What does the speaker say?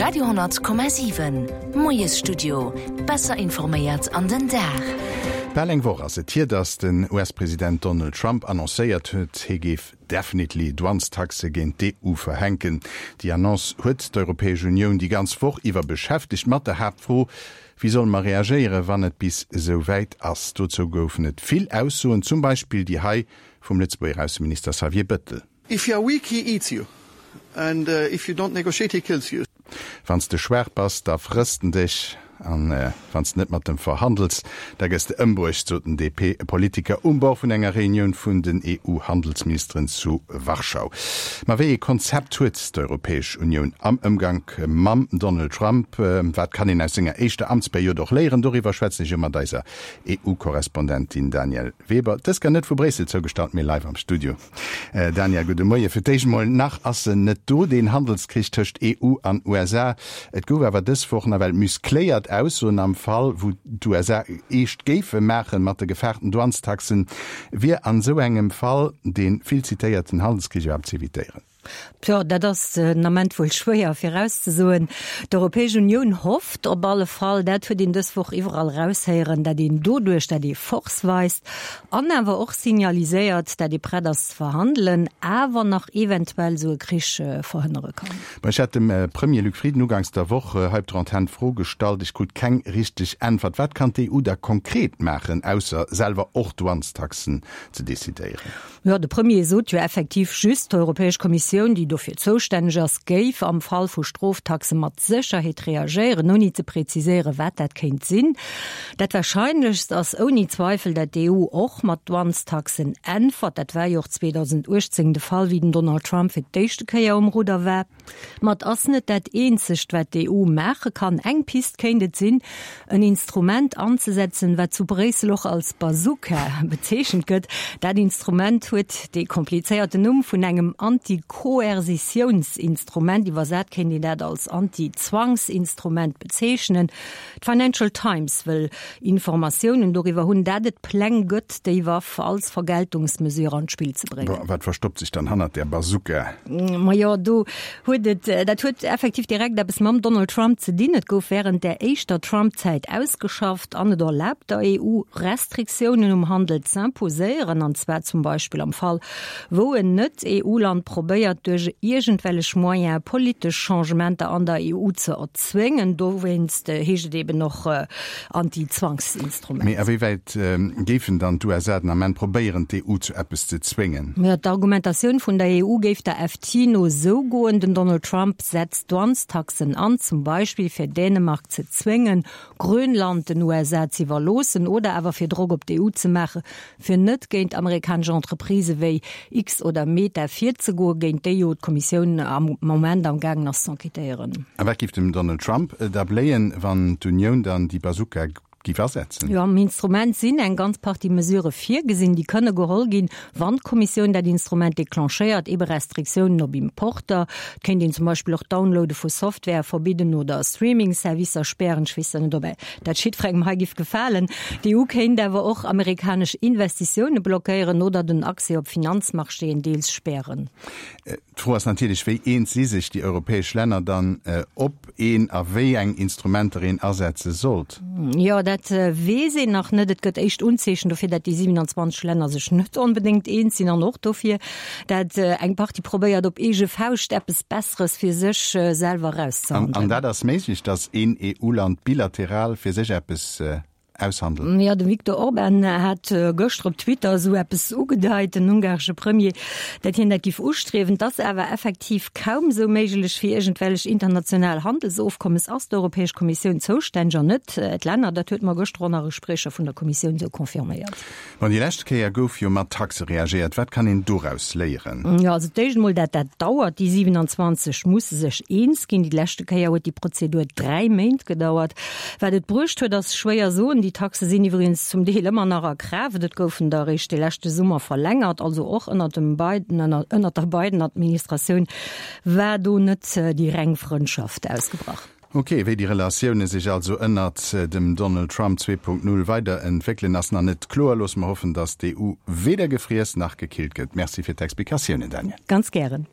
Radio,7 Moiesstudio, besser informéiert an den Dag. Bal eng Woch ass et hier, datt den US-President Donald Trump annoncéiert huet, hie géif definitely Douanestaxe géint d'EU verhänken. Déi Annonce huet d'Europäesch Unioun déi ganz Woch iwwer beschäftegt, mat der Haaptfro, Wéi solle mer reagéieren, wann et bis esou wäit ass? Dozou goufen et vill Aussoen, zum Beispill déi hei vum Lëtzebuerger Ausseminister Xavier Bëttel. If you are weak, he eats you, and if you don't negotiate, he kills you. Wann s de schwaach bass, da frësst en dech, an wann s de net mat em verhandels, da gëss de ëmbruecht, sot den DP-Politiker um Bord vun enger Reunioun vun den EU-Handelsministeren zu Warschau. Ma wéi ee Konzept huet d'Europäesch Unioun am Ëmgank mam Donald Trump? Wat kann een aus senger éischter Amtsperiod och léieren? Doriwwer schwätzen ech elo mat eiser EU-Korrespondentin Danièle Weber, dës gar net vu Bréissel zougestallt, mee live am Studio. Danièle, gudde Moie. Fir d'éischt emol, nach ass en net do, deen Handelskrich tëscht EU an USA. Et gouf awer dës Woch nawell muscléiert Aussoen am Fall, wou d'USA eescht géife maachen mat de gefaarten Douanestaxen. Wier an esou engem Fall dee vill zitéierten Handelskrich iwwerhaapt z'evitéieren? Tjo, dat ass den Ament wuel schwéier virauszesoen. D'Europäesch Unioun hofft op alle Fall, dat huet een dës Woch iwwerall eraushéieren, dat een doduerch, dat ee Force weist an awer och signaliséiert, dat ee prett ass ze verhandelen, awer nach eventuell esou e Krich verhënnere kann. Bon, ech hat dem Premier Luc Frieden uganks der Woch hei op der Antenn d'Fro gestallt, ech krut keng richteg Äntwert. Wat kann d'EU da konkret maachen, ausser selwer och Douanestaxen ze decidéieren? Jo, de Premier sot jo effektiv just, d'Europäesch Kommissioun, déi dofir zoustänneg ass, géif am Fall vu Stroftaxe mat Sécherheet reagéieren, ouni ze preziséieren, wat dat kéint sinn. Dat Warscheinlechst ass ouni Zweifel, dat d'EU och mat Douanestaxen äntwert. Dat war jo och 2018 de Fall, wéi den Donald Trump fir d'éischte Kéier um Rudder war. Ma et ass net dat eenzegt, wat d'EU maache kann. Eng Pist kéint et sinn, en Instrument anzesetzen, wat zu Bréissel och als Bazooka bezeechent gëtt. Dat Instrument huet dee komplizéierten Numm vun engem Anti-Koerzitiounsinstrument. Iwwersat kéint een dat als Anti-Zwangsinstrument bezeechnen. D'Financial Times wëll Informatiounen doriwwer hunn, dat et Pläng gëtt, déi Waff als Vergeltungsmesure an d'Spill ze bréngen. Wat verstoppt sech dann hannert där Bazooka? Majo, do huet et, dat huet effektiv direkt eppes mam Donald Trump ze dinn. Et gouf wärend där éischter Trump-Zäit ausgeschafft an et erlaabt der EU, Restriktiounen um Handel z'imposéieren, an zwar zum Beispill am Fall, wou en Net-EU-Land probéiert, duerch iergendwellech Moyene politesch Changementer an der EU ze erzwéngen. Dowéinst heescht et eben och Anti-Zwangsinstrument. Mee a wéi wäit géifen dann d'USA den Ament probéieren, d'EU zu eppes ze zwéngen? D'Argumentatioun vun der EU géif der FT no esou goen, Den Donald Trump setzt Douanestaxen an, zum Beispill fir Dänemark ze zwéngen, Grönland den USA z'iwwerloossen oder awer fir Drock op d'EU ze maachen, fir net géint amerikanesch Entreprisë wéi X oder Meta virzegoen, géint déi jo d'Kommissioun am Moment am gaangen ass z'enquêtéieren. A wat géif dem Donald Trump da bléien, wann d'Unioun dann déi Bazooka géif asetzen? Jo, am Instrument sinn eng ganz Partie Mesurë virgesinn, déi kënne geholl ginn, wann d'Kommissioun dat Instrument declenchéiert, ebe Restriktiounen op Importer. Et kéint een zum Beispill och d'Downloade vu Software verbidden oder Streaming-Servicer spären. Ech weess net, ob dat jiddwerengem hei giff gefalen. D'EU kéint awer och amerikanesch Investitioune blockéieren oder den Accès op Finanzmarchéen deels spären. D'Fro ass natierlech, wéi eens si sech déi europäesch Länner dann, ob een a wéi eng Instrumenter een asetze sollt? Jo, dat weess een nach net. Et gëtt éischt Unzeechen dofir, dat déi 27 Länner sech net onbedéngt eens sinn an och dofir, dat eng Partie probéiert op eege Fauscht eppes Besseres fir sech selwer erauszehandelen. An dat ass méiglech, datt een EU-Land bilateral fir sech eppes aushandelt? Jo, de Viktor Orban hat gëschter op Twitter esou eppes ugedeit, den ungaresche Premier, dat hien dat giff ustriewen. Et ass awer effektiv kaum esou méiglech. Fir iergendwellech international Handelsofkommes ass d'Europäesch Kommissioun zoustänneg an net d'Länner. Dat huet mer gëschter och nach e Spriecher vun der Kommissioun esou confirméiert. Bon, déi lescht Kéier gouf jo mat Taxe reagéiert. Wat kann een doraus léieren? Jo, also d'éischt emol, dat dat dauert. Déi 27 musse sech eens ginn. Déi leschte Kéier huet déi Prozedur 3 Méint gedauert. Wat et bruecht huet, ass schwéier soen. Déi Taxe sinn iwwregens zum Deel ëmmer nach a Kraaft. Et goufen der eréischt de leschte Summer verlängert, also och ënnert dem Biden, ënnert der Biden-Administratioun war do net déi reng Frëndschaft ausgebrach. Ok, wéi déi Relatioune sech also ënnert dem Donald Trump 2.0 weider entwéckelen, ass nach net kloer. Loosse mer hoffen, datt d'EU weder gefriess nach gekillt gëtt. Merci fir d'Explikatiounen, Danièle. Ganz gären.